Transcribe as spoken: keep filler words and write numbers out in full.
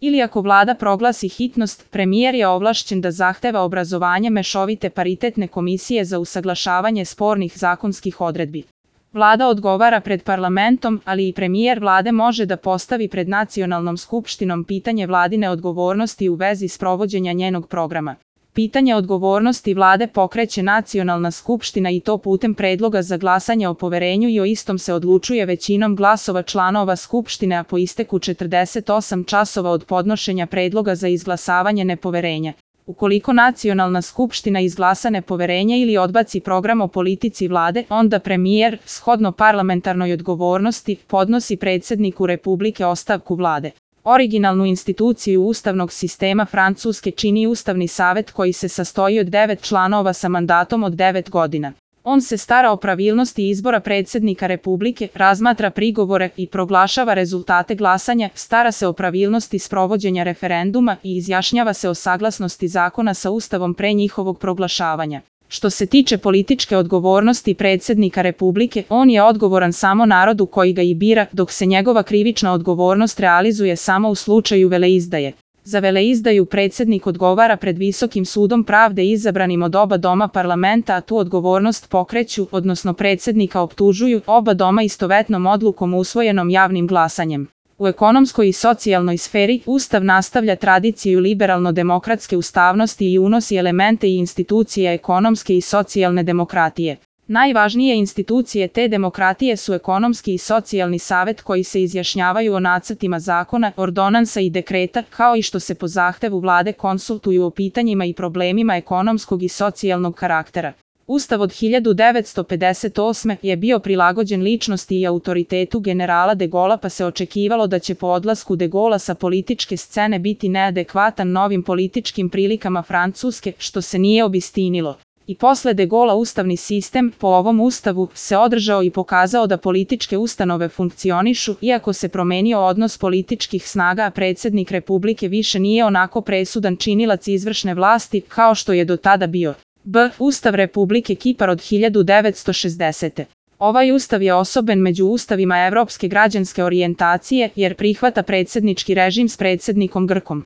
ili ako vlada proglasi hitnost, premijer je ovlašćen da zahteva obrazovanje mešovite paritetne komisije za usaglašavanje spornih zakonskih odredbi. Vlada odgovara pred parlamentom, ali i premijer vlade može da postavi pred nacionalnom skupštinom pitanje vladine odgovornosti u vezi sprovođenja njenog programa. Pitanje odgovornosti vlade pokreće nacionalna skupština i to putem predloga za glasanje o poverenju i o istom se odlučuje većinom glasova članova skupštine, a po isteku četrdeset osam časova od podnošenja predloga za izglasavanje nepoverenja. Ukoliko nacionalna skupština izglasa nepoverenje ili odbaci program o politici vlade, onda premijer, shodno parlamentarnoj odgovornosti, podnosi predsjedniku Republike ostavku vlade. Originalnu instituciju ustavnog sistema Francuske čini Ustavni savet koji se sastoji od devet članova sa mandatom od devet godina. On se stara o pravilnosti izbora predsjednika Republike, razmatra prigovore i proglašava rezultate glasanja, stara se o pravilnosti sprovođenja referenduma i izjašnjava se o saglasnosti zakona sa Ustavom pre njihovog proglašavanja. Što se tiče političke odgovornosti predsjednika Republike, on je odgovoran samo narodu koji ga i bira, dok se njegova krivična odgovornost realizuje samo u slučaju veleizdaje. Za veleizdaju predsjednik odgovara pred Visokim sudom pravde izabranim od oba doma parlamenta, a tu odgovornost pokreću, odnosno predsjednika optužuju, oba doma istovetnom odlukom usvojenom javnim glasanjem. U ekonomskoj i socijalnoj sferi, Ustav nastavlja tradiciju liberalno-demokratske ustavnosti i unosi elemente i institucije ekonomske i socijalne demokratije. Najvažnije institucije te demokratije su ekonomski i socijalni savet koji se izjašnjavaju o nacrtima zakona, ordonansa i dekreta, kao i što se po zahtevu vlade konsultuju o pitanjima i problemima ekonomskog i socijalnog karaktera. Ustav od hiljadu devetsto pedeset osme. je bio prilagođen ličnosti i autoritetu generala de Gaulle'a, pa se očekivalo da će po odlasku de Gaulle'a sa političke scene biti neadekvatan novim političkim prilikama Francuske, što se nije obistinilo. I posle de Gaulle'a ustavni sistem, po ovom ustavu, se održao i pokazao da političke ustanove funkcionišu, iako se promenio odnos političkih snaga, a predsjednik Republike više nije onako presudan činilac izvršne vlasti, kao što je do tada bio. B. Ustav Republike Kipar od hiljadu devetsto šezdesete. Ovaj ustav je osoben među ustavima evropske građanske orijentacije, jer prihvata predsjednički režim s predsjednikom Grkom.